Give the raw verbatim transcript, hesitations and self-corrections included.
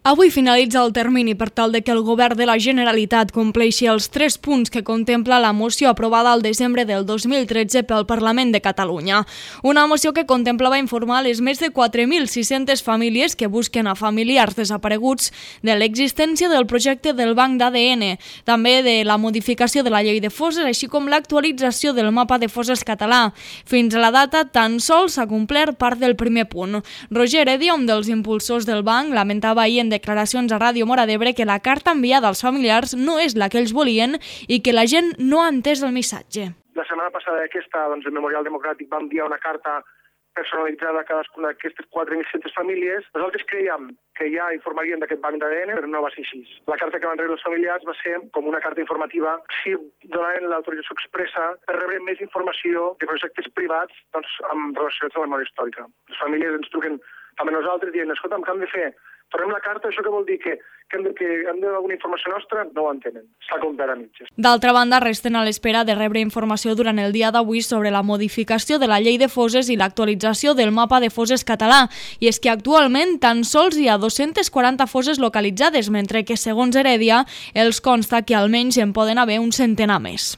Avui finalitza el termini per tal de que el govern de la Generalitat compleixi els tres punts que contempla la moció aprovada al desembre del dos mil tretze pel Parlament de Catalunya. Una moció que contemplava informar les més de quatre mil sis-centes famílies que busquen a familiars desapareguts de l'existència del projecte del Banc d'A D N, també de la modificació de la llei de fosses, així com l'actualització del mapa de fosses català. Fins a la data, tan sols s'ha complert part del primer punt. Roger Heredia, un dels impulsors del banc, lamentava ahir en declaracions a Ràdio Móra d'Ebre que la carta enviada als familiars no és la que ells volien i que la gent no ha entès el missatge. La setmana passada aquesta, doncs, el Memorial Democràtic va enviar una carta personalitzada a cadascuna d'aquestes quatre mil sis-centes famílies. Nosaltres creiem que ja informarien d'aquest banc d'A D N, però no va ser així. La carta que van rebre els familiars va ser com una carta informativa si donaven l'autorització expressa per rebre més informació de projectes privats, doncs, amb relació a la memòria històrica. Les famílies ens truquen també nosaltres dient, escolta, què hem de fer? Tornem la carta, això què vol dir? Que, que hem de, que hem de alguna informació nostra? No ho entenen. Està complet a mitges. D'altra banda, resten a l'espera de rebre informació durant el dia d'avui sobre la modificació de la llei de fosses i l'actualització del mapa de fosses català. I és que actualment tan sols hi ha dos-centes quaranta fosses localitzades, mentre que, segons Heredia, els consta que almenys en poden haver un centenar més.